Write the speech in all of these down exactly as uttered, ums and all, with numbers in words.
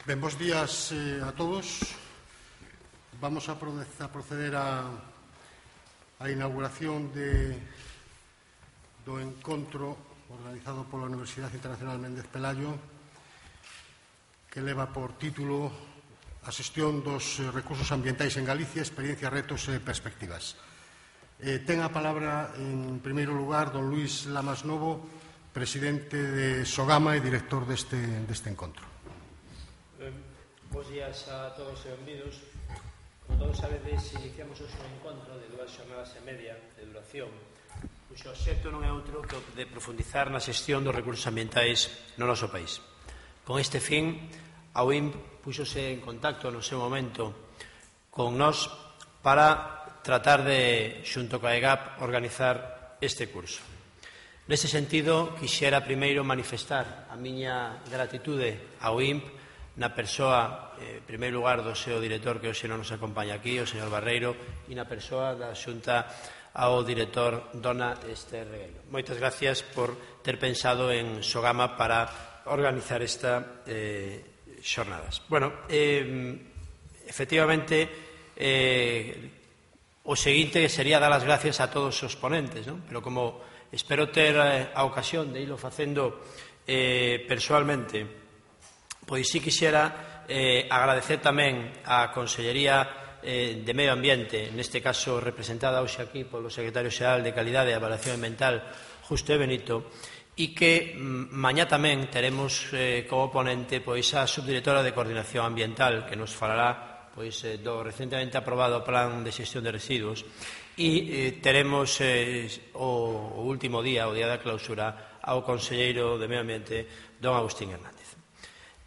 Ben, bos días eh, a todos. Vamos a proceder a, a inauguración de, do encontro organizado pola Universidade Internacional Méndez Pelayo, que leva por título a xestión dos recursos ambientais en Galicia, experiencias, retos e perspectivas. Eh, ten a palabra, en primeiro lugar, don Luís Lamas Novo, presidente de Sogama e director deste, deste encontro. Eh, bos días a todos e benvidos. Como todos sabedes, iniciamos hoxe un encontro de dúas xornadas e media de duración, cuxo obxecto non é outro que o de profundizar na xestión dos recursos ambientais no noso país. Con este fin, a U I M puxose en contacto no seu momento con nós para tratar de, xunto coa E G A P, organizar este curso. Neste sentido, quixera primeiro manifestar a miña gratitude ao I M P na persoa, en primeiro lugar, do seu director que hoxe non nos acompaña aquí, o señor Barreiro, e na persoa da Xunta ao director dona Esther Regueiro. Moitas gracias por ter pensado en Sogama para organizar esta eh, xornadas. Bueno, eh, efectivamente, eh, o seguinte sería dar as gracias a todos os ponentes, non? Pero como espero ter eh, a ocasión de ilo facendo eh, persoalmente, pois sí quixera eh, agradecer tamén á Consellería eh, de Medio Ambiente, neste caso representada hoxe aquí polo Secretario Xeral de Calidade e Avaliación Ambiental, Justo e Benito, e que mañá tamén teremos eh, como ponente pois a subdirectora de Coordinación Ambiental, que nos falará pois eh, do recentemente aprobado Plan de Xestión de Residuos, e eh, teremos eh, o, o último día, o día da clausura, ao Conselleiro de Medio Ambiente, don Agustín Hernández.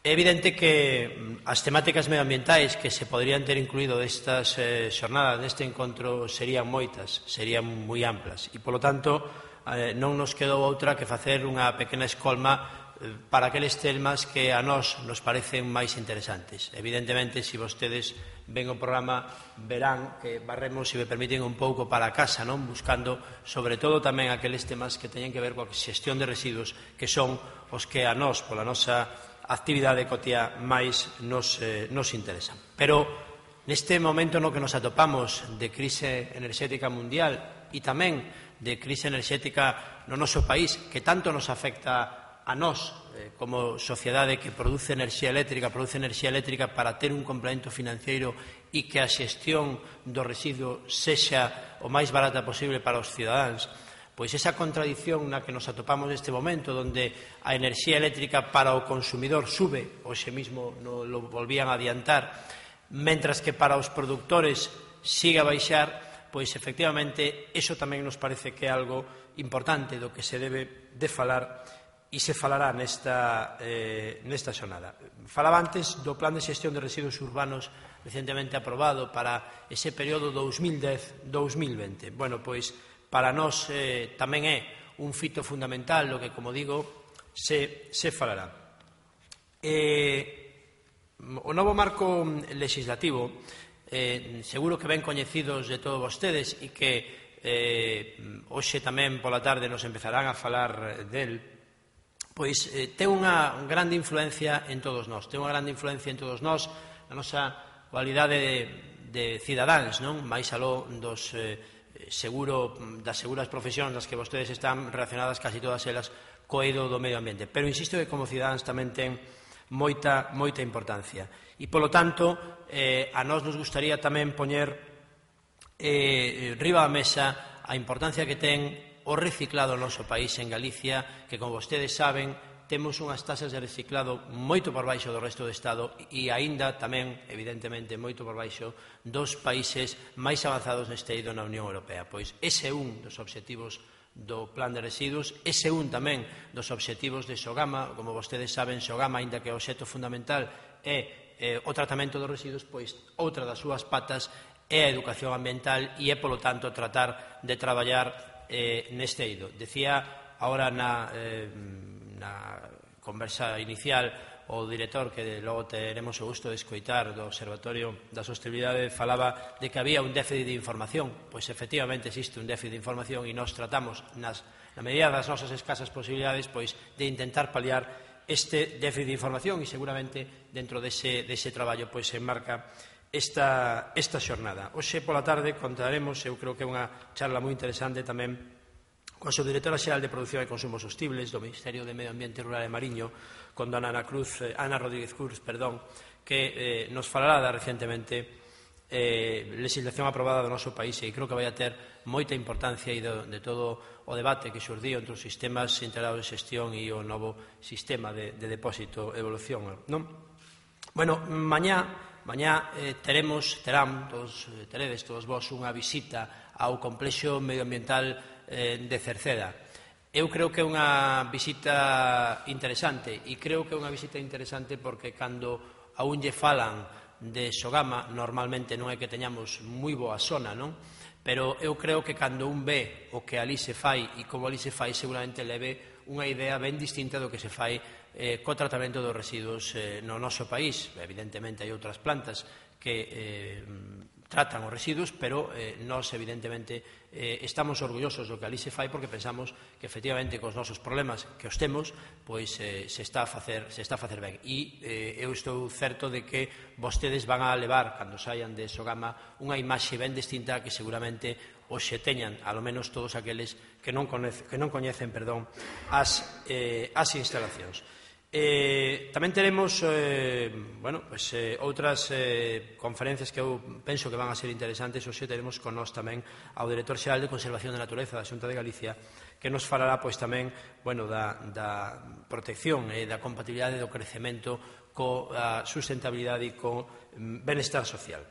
É evidente que as temáticas medioambientais que se poderían ter incluído destas eh, xornadas, deste encontro, serían moitas, serían moi amplas, e, polo tanto, eh, non nos quedou outra que facer unha pequena escolma eh, para aqueles temas que a nós nos parecen máis interesantes. Evidentemente, se vostedes ven o programa, verán que barremos, se me permiten, un pouco para a casa, non? Buscando, sobre todo, tamén aqueles temas que teñen que ver coa xestión de residuos, que son os que a nós, pola nosa actividade cotiá, máis nos, eh, nos interesan. Pero neste momento no que nos atopamos de crise enerxética mundial e tamén de crise enerxética no noso país, que tanto nos afecta a nós eh, como sociedade que produce enerxía eléctrica, produce enerxía eléctrica para ter un complemento financiero e que a xestión do residuo sexa o máis barata posible para os cidadáns, pois esa contradición na que nos atopamos neste momento, onde a enerxía eléctrica para o consumidor sube, hoxe mismo no, lo volvían a adiantar, mentras que para os produtores siga a baixar, pois efectivamente iso tamén nos parece que é algo importante do que se debe de falar e se falará nesta, eh, nesta xornada. Falaba antes do Plan de Xestión de Residuos Urbanos recentemente aprobado para ese período dous mil dez a dous mil vinte. Bueno, pois para nós eh, tamén é un fito fundamental o que, como digo, se, se falará. Eh, o novo marco legislativo, eh, seguro que ben coñecidos de todos vostedes e que eh, hoxe tamén pola tarde nos empezarán a falar del, pois eh, ten unha grande influencia en todos nós, ten unha grande influencia en todos nós, na nosa cualidade de, de cidadáns, non? Mais aló dos eh, seguro das seguras profesións nas que vostedes están relacionadas casi todas elas co eido do medio ambiente. Pero insisto que como cidadáns tamén ten moita, moita importancia. E, polo tanto, eh, a nós nos gustaría tamén poñer eh, riba a mesa a importancia que ten o reciclado no noso país, en Galicia, que, como vostedes saben, temos unhas tasas de reciclado moito por baixo do resto do Estado e aínda tamén, evidentemente, moito por baixo dos países máis avanzados neste eido na Unión Europea. Pois ese é un dos obxectivos do Plan de Residuos, ese é un tamén dos obxectivos de Sogama. Como vostedes saben, Sogama, aínda que o obxecto fundamental é eh, o tratamento dos residuos, pois outra das súas patas é a educación ambiental e é, polo tanto, tratar de traballar eh, neste eido. Decía ahora na... Eh, na conversa inicial o director, que logo teremos o gusto de escoitar, do Observatorio da Sostenibilidade, falaba de que había un déficit de información. Pois efectivamente existe un déficit de información e nós tratamos, nas, na medida das nosas escasas posibilidades, pois de intentar paliar este déficit de información e seguramente dentro dese, dese traballo pois se enmarca esta, esta xornada. Hoxe pola tarde contaremos, eu creo que é unha charla moi interesante tamén coa subdirectora xeral de Produción e Consumo Sostibles do Ministerio de Medio Ambiente Rural e Mariño, con dona Ana Cruz, eh, Ana Rodríguez Cruz, perdón, que eh, nos falará da recentemente eh, legislación aprobada do noso país e creo que vai a ter moita importancia e de, de todo o debate que xurdiu entre os sistemas integrados de xestión e o novo sistema de, de depósito e evolución, non? Bueno, mañá, mañá eh, teremos, terán, todos, eh, teredes todos vos unha visita ao complexo medioambiental eh, de Cerceda. Eu creo que é unha visita interesante e creo que é unha visita interesante porque cando a un lle falan de Sogama, normalmente non é que teñamos moi boa sona, non? Pero eu creo que cando un ve o que ali se fai e como ali se fai, seguramente leve unha idea ben distinta do que se fai eh, co tratamento dos residuos eh, no noso país. Evidentemente, hai outras plantas que eh, tratan os residuos, pero eh, nós, evidentemente, eh, estamos orgullosos do que ali se fai porque pensamos que, efectivamente, cos nosos problemas que os temos, pois eh, se está a facer, se está a facer ben. E eh, eu estou certo de que vostedes van a levar, cando saian de Sogama, unha imaxe ben distinta que seguramente hoxe teñan, alo menos todos aqueles que non, conece, que non coñecen perdón, as, eh, as instalacións. Eh, tamén teremos eh, bueno, pues, eh, outras eh, conferencias que eu penso que van a ser interesantes. Hoxe teremos con nós tamén ao Director Xeral de Conservación da Natureza da Xunta de Galicia, que nos falará pois, tamén bueno, da, da protección e da compatibilidade do crecemento coa sustentabilidade e co benestar social.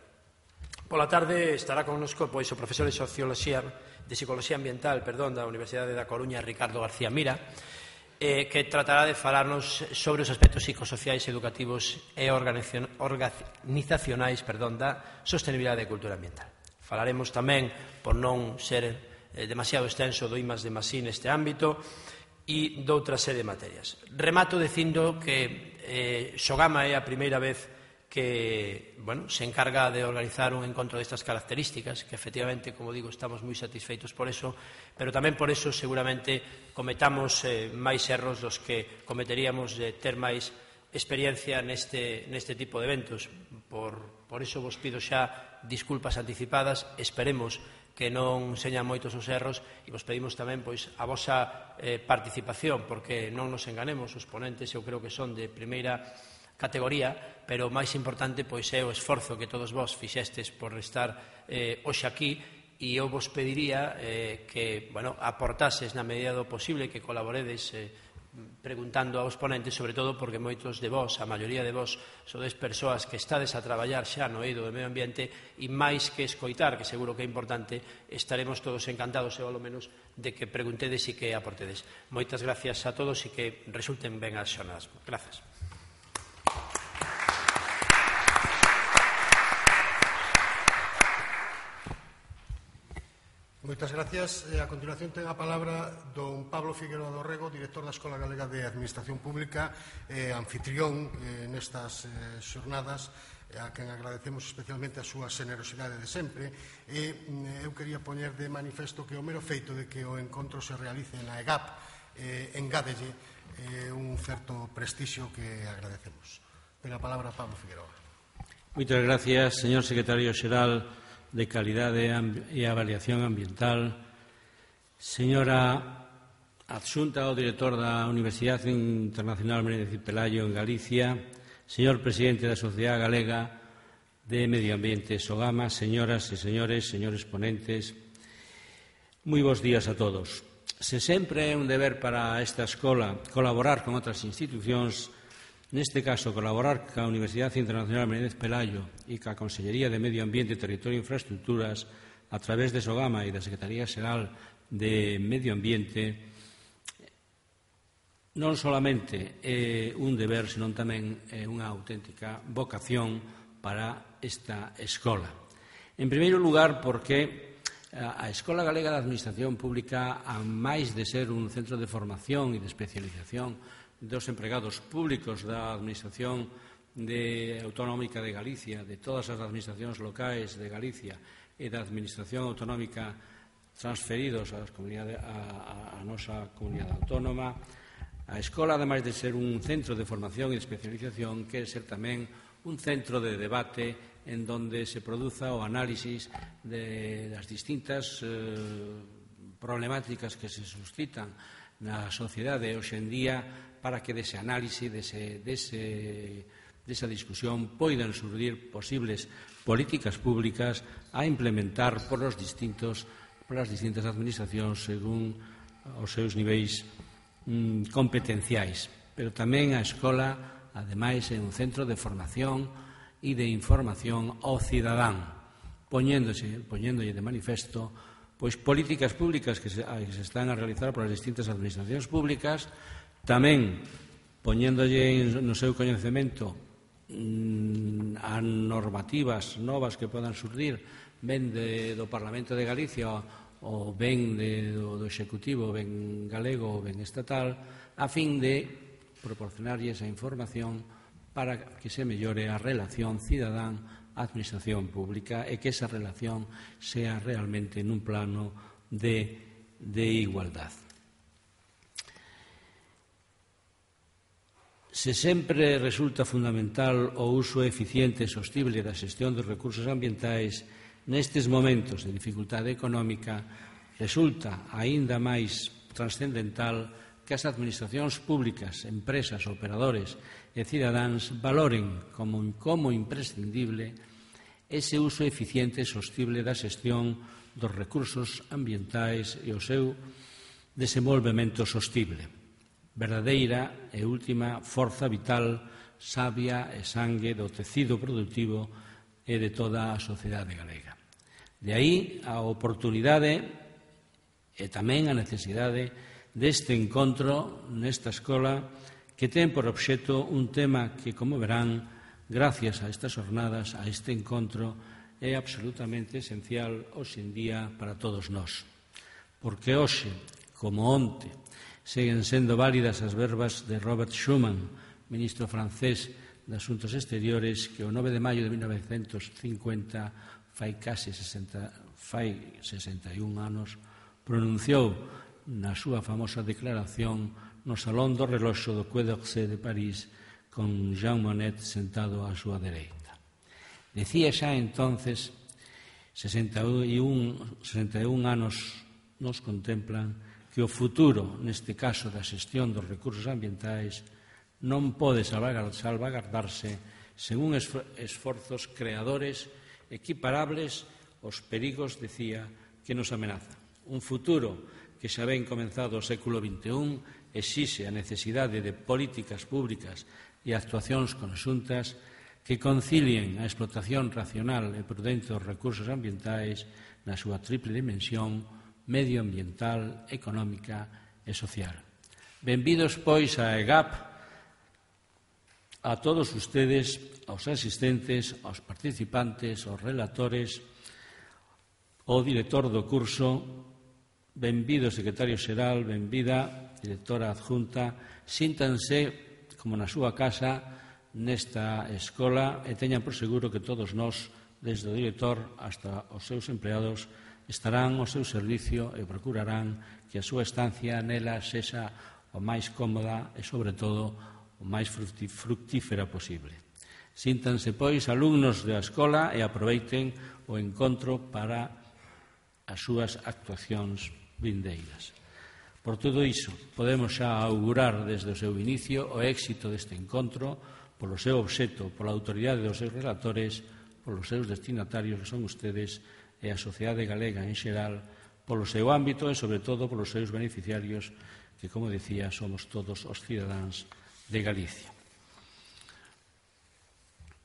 Pola tarde estará connosco pois, o profesor de Socioloxía, de Psicología Ambiental perdón, da Universidade da Coruña, Ricardo García Mira, Eh, que tratará de falarnos sobre os aspectos psicosociais, educativos e organizacionais perdón, da sostenibilidade e cultura ambiental. Falaremos tamén, por non ser eh, demasiado extenso, do I más D más I neste ámbito e doutra serie de materias. Remato dicindo que eh, Sogama é a primeira vez que bueno, se encarga de organizar un encontro destas características, que efectivamente, como digo, estamos moi satisfeitos por eso, pero tamén por eso seguramente cometamos eh, máis erros dos que cometeríamos de ter máis experiencia neste, neste tipo de eventos. Por, por eso vos pido xa disculpas anticipadas, esperemos que non señan moitos os erros e vos pedimos tamén pois, a vosa eh, participación, porque non nos enganemos, os ponentes eu creo que son de primeira categoría, pero o máis importante pois é o esforzo que todos vós fixestes por estar eh, hoxe aquí e eu vos pediría eh, que bueno, aportases na medida do posible, que colaboredes eh, preguntando aos ponentes, sobre todo porque moitos de vós, a maioría de vós, sodes persoas que estades a traballar xa no eido do medio ambiente e máis que escoitar, que seguro que é importante, estaremos todos encantados, ou ao menos, de que preguntedes e que aportedes. Moitas gracias a todos e que resulten ben as xornadas. Grazas. Moitas gracias. A continuación ten a palabra don Pablo Figueroa do Rego, director da Escola Galega de Administración Pública, eh, anfitrión eh, nestas eh, xornadas, a quen agradecemos especialmente a súa generosidade de sempre. E eh, eu quería poñer de manifesto que o mero feito de que o encontro se realice na E G A P eh, engádelle eh, un certo prestixio que agradecemos. Ten a palabra Pablo Figueroa. Moitas gracias, señor secretario xeral de Calidade e Avaliación Ambiental, señora adxunta ao director da Universidade Internacional Menéndez y Pelayo en Galicia, señor presidente da Sociedade Galega de Medio Ambiente Sogama, señoras e señores, señores ponentes, moi bons días a todos. Se sempre é un deber para esta escola colaborar con outras institucións, neste caso, colaborar ca Universidade Internacional Menéndez Pelayo e ca Consellería de Medio Ambiente, Territorio e Infraestructuras a través de Sogama e da Secretaría Xeral de Medio Ambiente non solamente é un deber, senón tamén é unha auténtica vocación para esta escola. En primeiro lugar, porque a Escola Galega de Administración Pública, a máis de ser un centro de formación e de especialización dos empregados públicos da Administración de Autonómica de Galicia, de todas as administracións locais de Galicia e da Administración Autonómica transferidos a, a, a nosa comunidade autónoma, A escola, ademais de ser un centro de formación e de especialización, quere ser tamén un centro de debate en donde se produza o análisis de das distintas eh, problemáticas que se suscitan na sociedade hoxe en día, para que dese análise, dese, dese, desa discusión poidan surgir posibles políticas públicas a implementar por os distintos, por as distintas administracións según os seus niveis mm, competenciais. Pero tamén a escola, ademais, é un centro de formación e de información ao cidadán, poñéndose, poñéndolle de manifesto pois políticas públicas que se, que se están a realizar por as distintas administracións públicas, tamén poñéndolle no seu coñecemento mmm, a normativas novas que podan surgir ben de, do Parlamento de Galicia ou ben de, do, do Executivo, ben galego ou ben estatal, a fin de proporcionarlle esa información para que se mellore a relación cidadán-administración pública e que esa relación sea realmente nun plano de, de igualdad. Se sempre resulta fundamental o uso eficiente e sostible da xestión dos recursos ambientais, nestes momentos de dificultade económica, resulta aínda máis transcendental que as administracións públicas, empresas, operadores e cidadáns valoren como, como imprescindible ese uso eficiente e sostible da xestión dos recursos ambientais e o seu desenvolvemento sostible, verdadeira e última forza vital, sabia e sangue do tecido productivo e de toda a sociedade galega. De aí a oportunidade e tamén a necesidade deste encontro nesta escola, que ten por obxecto un tema que, como verán, gracias a estas jornadas, a este encontro, é absolutamente esencial hoxe en día para todos nós. Porque hoxe, como onte, seguen sendo válidas as verbas de Robert Schuman, ministro francés de Asuntos Exteriores, que o nove de maio de mil novecentos cincuenta, fai case sesenta, fai sesenta e un anos, pronunciou na súa famosa declaración no Salón do Reloxo do Quai d'Orsay de París, con Jean Monnet sentado á súa dereita. Decía xa entonces, sesenta e un anos nos contemplan, que o futuro, neste caso da xestión dos recursos ambientais, non pode salvagardarse sen un esforzos creadores equiparables aos perigos, decía, que nos amenazan. Un futuro que xa ben comenzado o século vinte e un exixe a necesidade de políticas públicas e actuacións conxuntas que concilien a explotación racional e prudente dos recursos ambientais na súa triple dimensión medioambiental, económica e social. Benvidos, pois, a EGAP, a todos ustedes, aos asistentes, aos participantes, aos relatores, ao director do curso, benvido secretario xeral, benvida directora adjunta, síntanse como na súa casa nesta escola e teñan por seguro que todos nós, desde o director hasta os seus empleados, estarán ao seu servicio e procurarán que a súa estancia nela sexa o máis cómoda e, sobre todo, o máis fructífera posible. Síntanse, pois, alumnos da escola e aproveiten o encontro para as súas actuacións vindeiras. Por todo iso, podemos xa augurar desde o seu inicio o éxito deste encontro polo seu obxecto, pola autoridade dos seus relatores, polos seus destinatarios, que son ustedes, e a sociedade galega en xeral, polo seu ámbito e, sobre todo, polos seus beneficiarios, que, como decía, somos todos os cidadáns de Galicia.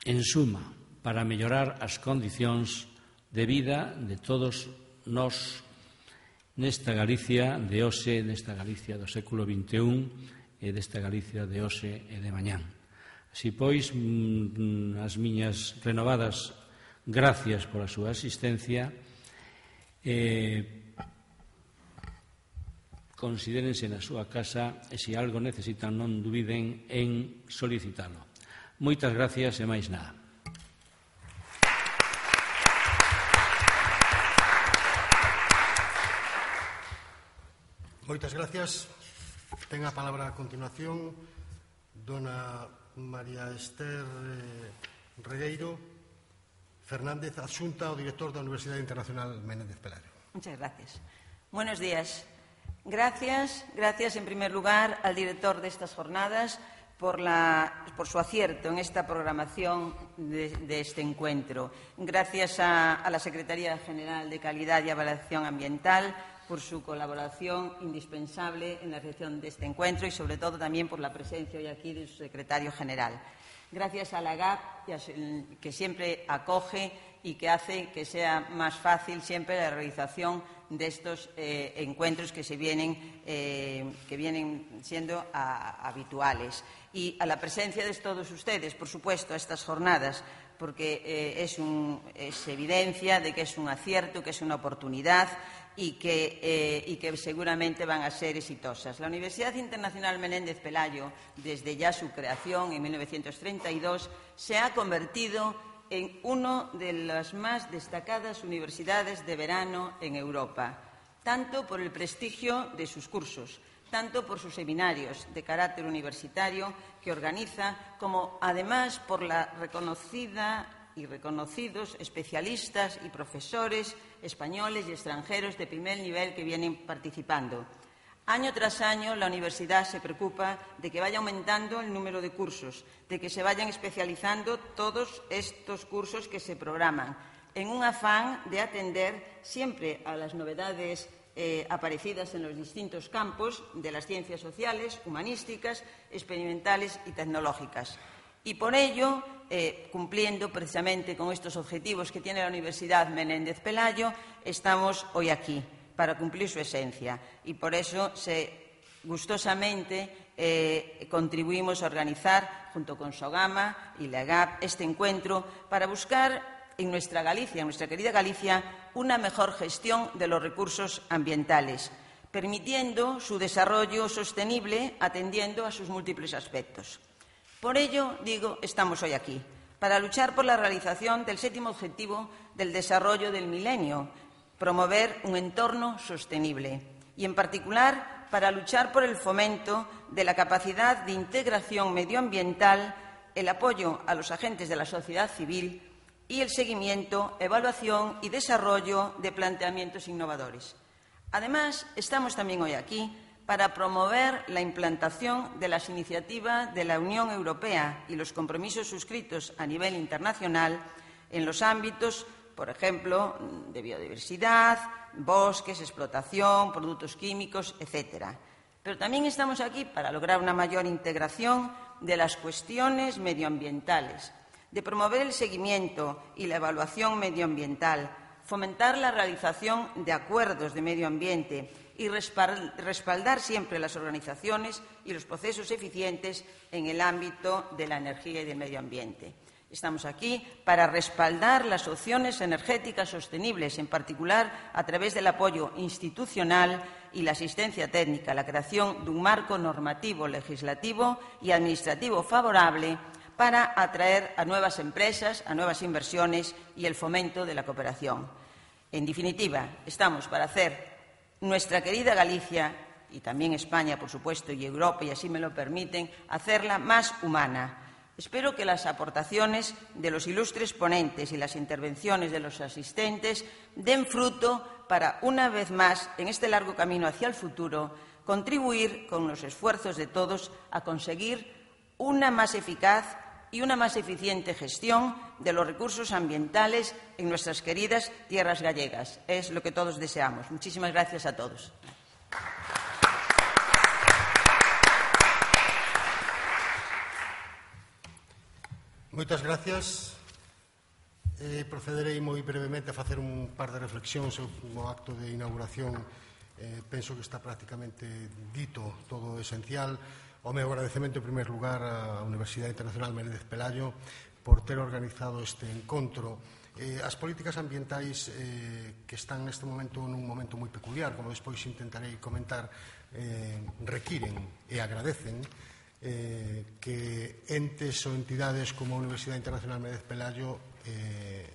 En suma, para mellorar as condicións de vida de todos nós nesta Galicia de hoxe, nesta Galicia do século vinte e un e desta Galicia de hoxe e de mañán. Así pois, as miñas renovadas gracias pola súa asistencia. Eh, considérense na súa casa e se algo necesitan non dubiden en solicitalo. Moitas gracias e máis nada. Moitas gracias. Ten a palabra a continuación dona María Esther eh, Regueiro Fernández, adxunta ao director da Universidade Internacional Menéndez Pelayo. Muchas gracias. Buenos días. Gracias, gracias en primer lugar al director de estas jornadas por, la, por su acierto en esta programación de, de este encuentro. Gracias a, a la Secretaría General de Calidad y Evaluación Ambiental por su colaboración indispensable en la realización de este encuentro y, sobre todo, también por la presencia hoy aquí de su secretario general. Gracias a la G A P, que siempre acoge y que hace que sea más fácil siempre la realización de estos eh, encuentros que, se vienen, eh, que vienen siendo a, habituales. Y a la presencia de todos ustedes, por supuesto, a estas jornadas, porque eh, es, un, es evidencia de que es un acierto, que es una oportunidad y que, eh, y que seguramente van a ser exitosas. La Universidad Internacional Menéndez Pelayo, desde ya su creación en mil novecientos treinta y dos, se ha convertido en una de las más destacadas universidades de verano en Europa, tanto por el prestigio de sus cursos, tanto por sus seminarios de carácter universitario que organiza, como además por la reconocida y reconocidos especialistas y profesores españoles y extranjeros de primer nivel que vienen participando. Año tras año, la universidad se preocupa de que vaya aumentando el número de cursos, de que se vayan especializando todos estos cursos que se programan, en un afán de atender siempre a las novedades eh, aparecidas en los distintos campos de las ciencias sociales, humanísticas, experimentales y tecnológicas. Y por ello, eh, cumpliendo precisamente con estos objetivos que tiene la Universidad Menéndez Pelayo, estamos hoy aquí, para cumplir su esencia. Y por eso, se, gustosamente, eh, contribuimos a organizar, junto con Sogama y la G A P, este encuentro para buscar en nuestra Galicia, en nuestra querida Galicia, una mejor gestión de los recursos ambientales, permitiendo su desarrollo sostenible atendiendo a sus múltiples aspectos. Por ello, digo, estamos hoy aquí, para luchar por la realización del séptimo objetivo del desarrollo del milenio, promover un entorno sostenible y, en particular, para luchar por el fomento de la capacidad de integración medioambiental, el apoyo a los agentes de la sociedad civil y el seguimiento, evaluación y desarrollo de planteamientos innovadores. Además, estamos también hoy aquí para promover la implantación de las iniciativas de la Unión Europea y los compromisos suscritos a nivel internacional en los ámbitos, por ejemplo, de biodiversidad, bosques, explotación, productos químicos, etcétera. Pero también estamos aquí para lograr una mayor integración de las cuestiones medioambientales, de promover el seguimiento y la evaluación medioambiental, fomentar la realización de acuerdos de medio ambiente y respaldar siempre las organizaciones y los procesos eficientes en el ámbito de la energía y del medio ambiente. Estamos aquí para respaldar las opciones energéticas sostenibles, en particular a través del apoyo institucional y la asistencia técnica, la creación de un marco normativo, legislativo y administrativo favorable para atraer a nuevas empresas, a nuevas inversiones y el fomento de la cooperación. En definitiva, estamos para hacer nuestra querida Galicia, y también España, por supuesto, y Europa, y así me lo permiten, hacerla más humana. Espero que las aportaciones de los ilustres ponentes y las intervenciones de los asistentes den fruto para, una vez más, en este largo camino hacia el futuro, contribuir con los esfuerzos de todos a conseguir una más eficaz y una más eficiente gestión de los recursos ambientales en nuestras queridas tierras gallegas. Es lo que todos deseamos. Muchísimas gracias a todos. Moitas gracias. Eh, procederei moi brevemente a facer un par de reflexións no acto de inauguración. Eh, penso que está prácticamente dito todo o esencial. O meu agradecemento, en primer lugar, á Universidade Internacional Menéndez Pelayo por ter organizado este encontro. Eh, as políticas ambientais eh, que están neste momento nun momento moi peculiar, como despois intentarei comentar, eh, requiren e agradecen Eh, que entes ou entidades como a Universidade Internacional Menéndez Pelayo eh,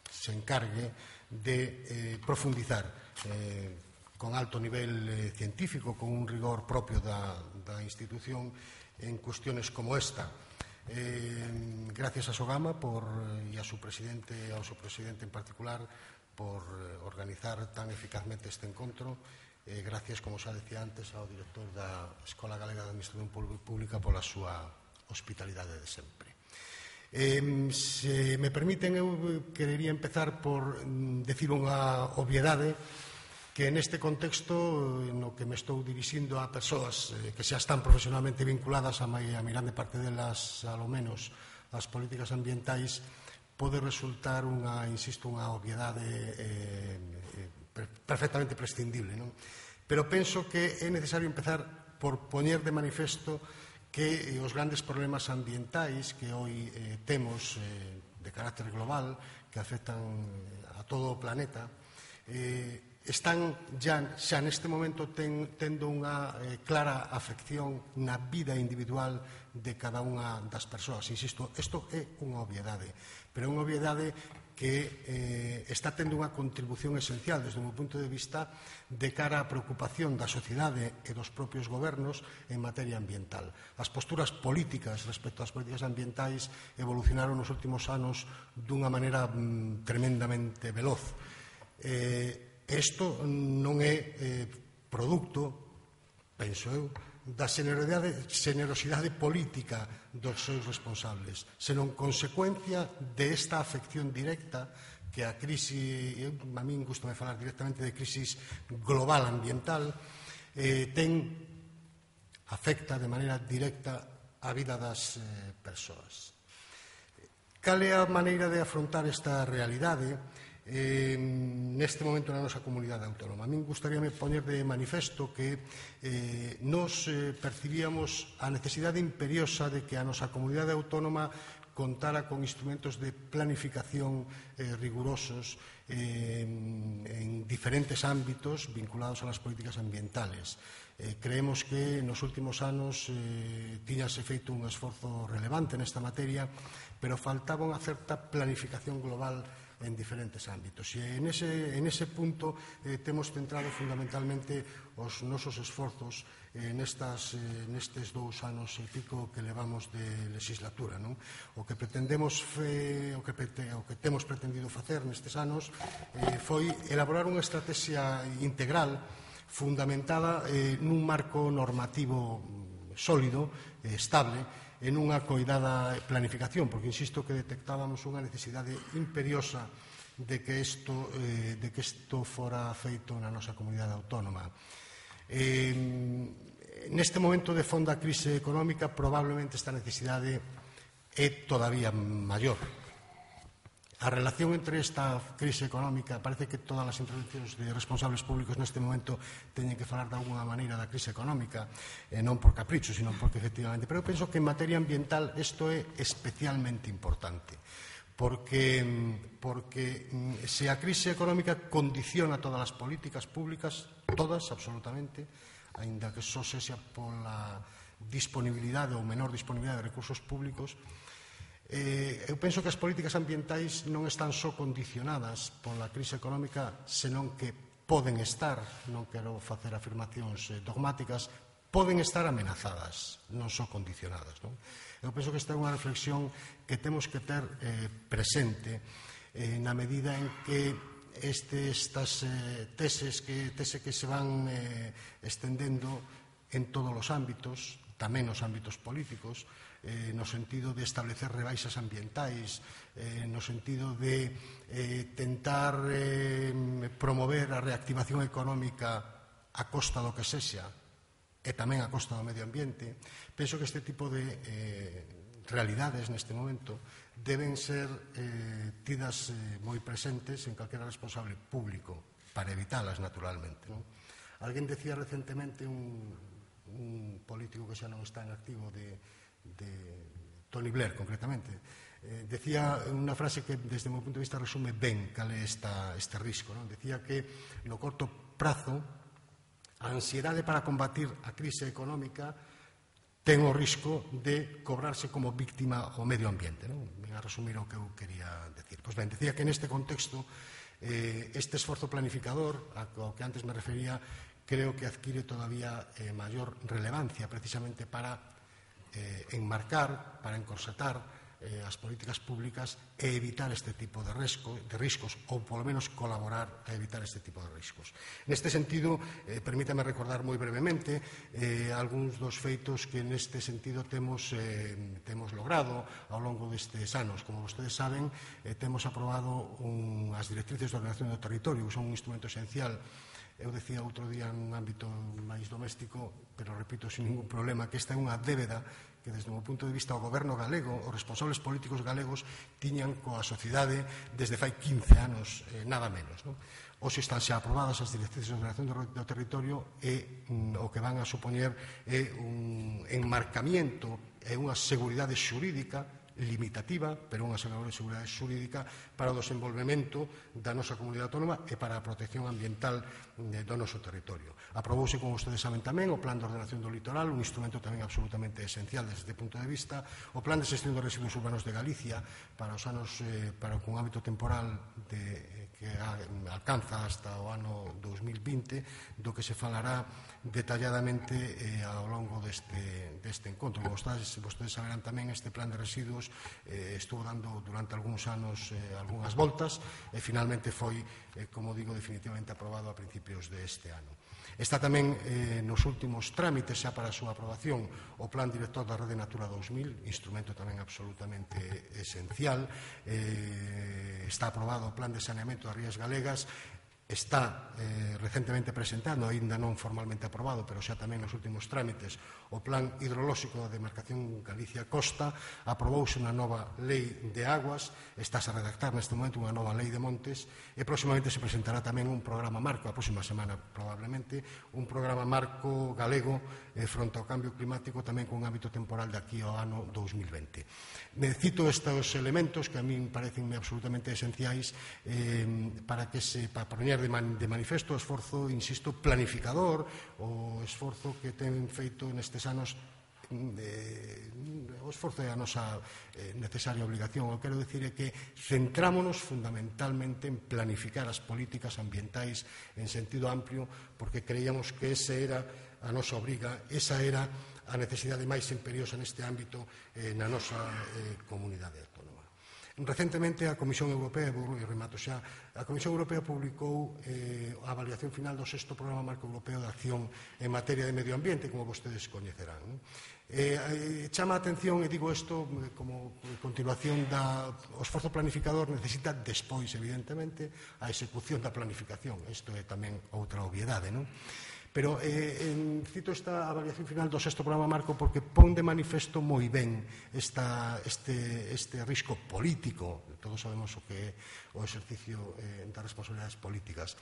se encargue de eh, profundizar eh, con alto nivel eh, científico, con un rigor propio da, da institución en cuestiones como esta. Eh, gracias a Sogama por, y a su presidente, a su presidente en particular, por eh, organizar tan eficazmente este encontro. Eh, gracias, como xa decía antes, ao director da Escola Galega de Administración Pública pola súa hospitalidade de sempre. Eh, se me permiten, eu querería empezar por mm, decir unha obviedade que neste contexto no que me estou dirixindo a persoas eh, que xa están profesionalmente vinculadas a, a mirande parte delas, ao menos, as políticas ambientais, pode resultar unha, insisto, unha obviedade eh, eh, perfectamente prescindible, non? Pero penso que é necesario empezar por poñer de manifesto que os grandes problemas ambientais que hoy eh, temos eh, de carácter global, que afectan a todo o planeta, eh, están ya, xa neste momento ten, tendo unha eh, clara afección na vida individual de cada unha das persoas. Insisto, isto é unha obviedade, pero é unha obviedade que eh, está tendo unha contribución esencial desde o meu punto de vista de cara á preocupación da sociedade e dos propios gobernos en materia ambiental. As posturas políticas respecto ás políticas ambientais evolucionaron nos últimos anos dunha maneira mm, tremendamente veloz. Eh, isto non é eh, producto, penso eu, da generosidade, generosidade política dos seus responsables, senón consecuencia desta afección directa que a crise, a min gustame falar directamente de crisis global ambiental, eh, ten, afecta de maneira directa a vida das eh, persoas. Cal é a maneira de afrontar esta realidade Eh, neste momento na nosa comunidade autónoma? A min gustaríame poñer de manifesto que eh, nos eh, percibíamos a necesidade imperiosa de que a nosa comunidade autónoma contara con instrumentos de planificación eh, rigurosos eh, en diferentes ámbitos vinculados a las políticas ambientales. Eh, creemos que nos últimos anos eh, tiñase feito un esforzo relevante nesta materia, pero faltaba unha certa planificación global en diferentes ámbitos. E en ese, en ese punto eh, temos centrado fundamentalmente os nosos esforzos eh, nestas, eh, nestes dous anos e pico que levamos de legislatura, non? O que pretendemos fe, o, que prete, o que temos pretendido facer nestes anos eh, foi elaborar unha estrategia integral fundamentada eh, nun marco normativo sólido, eh, estable, en unha coidada planificación, porque insisto que detectábamos unha necesidade imperiosa de que isto, eh, de que isto fora feito na nosa comunidade autónoma. Eh, neste momento de fonda crise económica, probablemente esta necesidade é todavía maior. A relación entre esta crise económica, parece que todas as intervencións de responsables públicos neste momento teñen que falar de alguna maneira da crise económica, eh, non por capricho, sino porque efectivamente. Pero eu penso que en materia ambiental isto é especialmente importante, porque, porque se a crise económica condiciona todas as políticas públicas, todas, absolutamente, aínda que só sexa pola disponibilidade ou menor disponibilidade de recursos públicos, Eh, eu penso que as políticas ambientais non están só condicionadas pola crise económica, senón que poden estar, non quero facer afirmacións dogmáticas, poden estar amenazadas, non só condicionadas, non? Eu penso que esta é unha reflexión que temos que ter eh, presente eh, na medida en que este, estas eh, teses que, tese que se van eh, estendendo en todos os ámbitos, tamén nos ámbitos políticos, Eh, no sentido de establecer rebaixas ambientais, eh, no sentido de eh, tentar eh, promover a reactivación económica a costa do que sexa e tamén a costa do medio ambiente. Penso que este tipo de eh, realidades neste momento deben ser eh, tidas eh, moi presentes en calquera responsable público para evitalas naturalmente, non? Alguén decía recentemente, un, un político que xa non está en activo, de de Tony Blair, concretamente, eh, decía unha frase que desde o meu punto de vista resume ben cal é esta, este risco, non? Decía que no corto prazo a ansiedade para combatir a crise económica ten o risco de cobrarse como víctima ao medio ambiente, non? Ven a resumir o que eu quería decir. Pois ben, decía que neste contexto Este esforzo planificador, ao que antes me refería, creo que adquiere todavía mayor relevancia precisamente para enmarcar, para encorsetar as políticas públicas e evitar este tipo de riscos, ou polo menos colaborar a evitar este tipo de riscos. Neste sentido, permítame recordar moi brevemente algúns dos feitos que neste sentido temos logrado ao longo destes anos. Como vostedes saben, temos aprobado as directrices de ordenación do territorio, que son un instrumento esencial. Eu decía outro día nun ámbito máis doméstico, pero repito sin ningún problema, que esta é unha débeda que desde o meu punto de vista o goberno galego, os responsables políticos galegos tiñan coa sociedade desde fai quince anos, nada menos. Hoxe están xa aprobadas as directrices de ordenación do territorio e o que van a supoñer é un enmarcamiento e unha seguridade xurídica limitativa, pero unha seguridade xurídica para o desenvolvemento da nosa comunidade autónoma e para a protección ambiental do noso territorio. Aprobouse, como vostedes saben tamén, o Plan de Ordenación do Litoral, un instrumento tamén absolutamente esencial desde este punto de vista, o Plan de Xestión dos Residuos Urbanos de Galicia para os anos, para un ámbito temporal que alcanza hasta o ano dous mil vinte, do que se falará detalladamente ao longo deste encontro. Como vostedes saberán tamén, este plan de residuos estuvo dando durante algúns anos algunhas voltas e finalmente foi, como digo, definitivamente aprobado a principios deste ano. Está tamén nos últimos trámites xa para a súa aprobación o Plan Director da Rede Natura dous mil, instrumento tamén absolutamente esencial. Está aprobado o Plan de Saneamento das Rías Galegas. Está recentemente presentado, aínda non formalmente aprobado, pero xa tamén nos últimos trámites, o Plan Hidrolóxico da Demarcación Galicia-Costa. Aprobouse unha nova lei de aguas, estáse a redactar neste momento unha nova lei de montes e próximamente se presentará tamén un programa marco, a próxima semana probablemente, un programa marco galego fronte ao cambio climático tamén con un ámbito temporal de aquí ao ano dous mil vinte. Cito estes elementos que a min parecenme absolutamente esenciais para que se para poñer de manifesto o esforzo, insisto, planificador, o esforzo que ten feito nestes anos, o esforzo é a nosa necesaria obligación. O que quero dicir é que centrámonos fundamentalmente en planificar as políticas ambientais en sentido amplio, porque creíamos que esa era a nosa obriga, esa era a necesidade máis imperiosa neste ámbito na nosa comunidade autónoma. Recentemente a Comisión Europea, e remato xa, a Comisión Europea publicou a avaliación final do sexto Programa Marco Europeo de Acción en materia de medio ambiente, como vostedes coñecerán. Chama a atención, e digo isto como continuación do esforzo planificador, necesita despois, evidentemente, a execución da planificación. Isto é tamén outra obviedade, non? Pero eh, cito esta avaliación final do sexto programa marco porque pon de manifesto moi ben esta, este, este risco político. Todos sabemos o que é o exercicio eh, das responsabilidades políticas.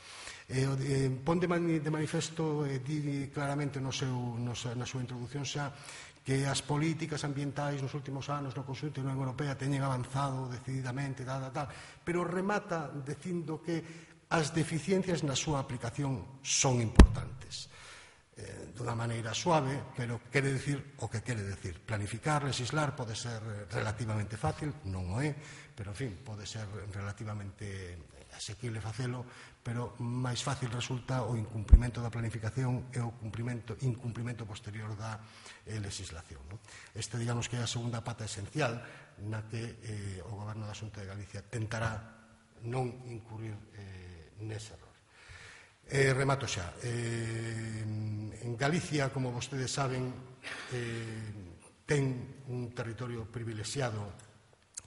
Eh, eh, pon de, man, de manifesto, eh, di claramente no seu, no, na súa introducción xa, que as políticas ambientais nos últimos anos no conxunto da Unión Europea teñen avanzado decididamente, tal, tal, tal, pero remata dicindo que as deficiencias na súa aplicación son importantes. Eh, dunha maneira suave, pero quere dicir o que quere dicir. Planificar, legislar pode ser relativamente fácil, non o é, pero, en fin, pode ser relativamente asequible facelo, pero máis fácil resulta o incumprimento da planificación e o incumprimento posterior da eh, legislación. No? Este, digamos, que é a segunda pata esencial na que eh, o Goberno da Xunta de Galicia tentará non incurrir eh, nese error. Eh, remato xa. Eh, en Galicia, como vostedes saben, eh, ten un territorio privilexiado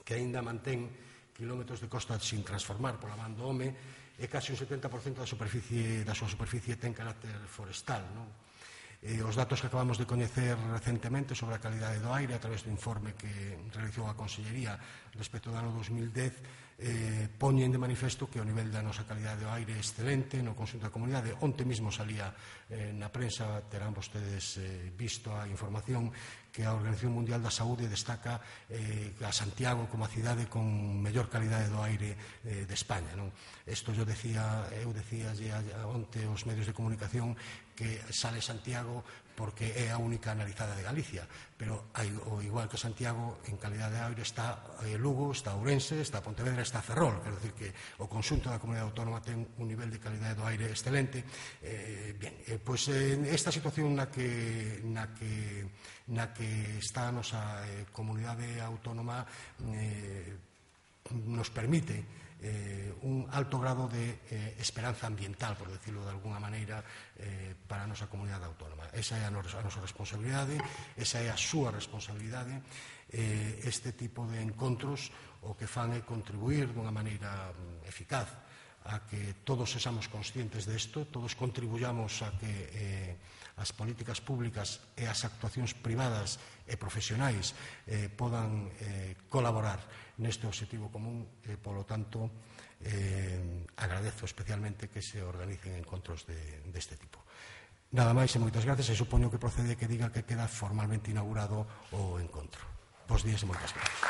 que aínda mantén kilómetros de costa sin transformar pola man do home e case un setenta por cento da, superficie, da súa superficie ten carácter forestal. Non? Eh, os datos que acabamos de coñecer recentemente sobre a calidade do aire a través do informe que realizou a Consellería respecto do ano dos mil dez eh, poñen de manifesto que o nivel da nosa calidade do aire é excelente no conxunto da comunidade. Onte mesmo salía eh, na prensa, terán vostedes eh, visto a información que a Organización Mundial da Saúde destaca eh, a Santiago como a cidade con mellor calidade do aire eh, de España. Non? Isto eu decía, eu decía onte aos medios de comunicación que sale Santiago porque é a única analizada de Galicia, pero hai, o igual que Santiago, en calidade de aire está eh, Lugo, está Ourense, está Pontevedra, está Ferrol, quero dicir que o conxunto da comunidade autónoma ten un nivel de calidade do aire excelente. Eh, bien, eh, pois en esta situación na que, na que, na que está a nosa eh, comunidade autónoma eh, nos permite Eh, un alto grado de eh, esperanza ambiental, por decirlo de alguna maneira, eh, para a nosa comunidade autónoma. Esa é a, nos, a nosa responsabilidade, esa é a súa responsabilidade. Eh, este tipo de encontros o que fan é contribuir dunha maneira eficaz a que todos sexamos conscientes desto, todos contribuyamos a que eh, as políticas públicas e as actuacións privadas e profesionais eh, podan eh, colaborar neste objetivo común e, polo tanto, eh, agradezo especialmente que se organicen encontros de, deste tipo. Nada máis e moitas gracias, e supoño que procede que diga que queda formalmente inaugurado o encontro. Bos días e moitas gracias.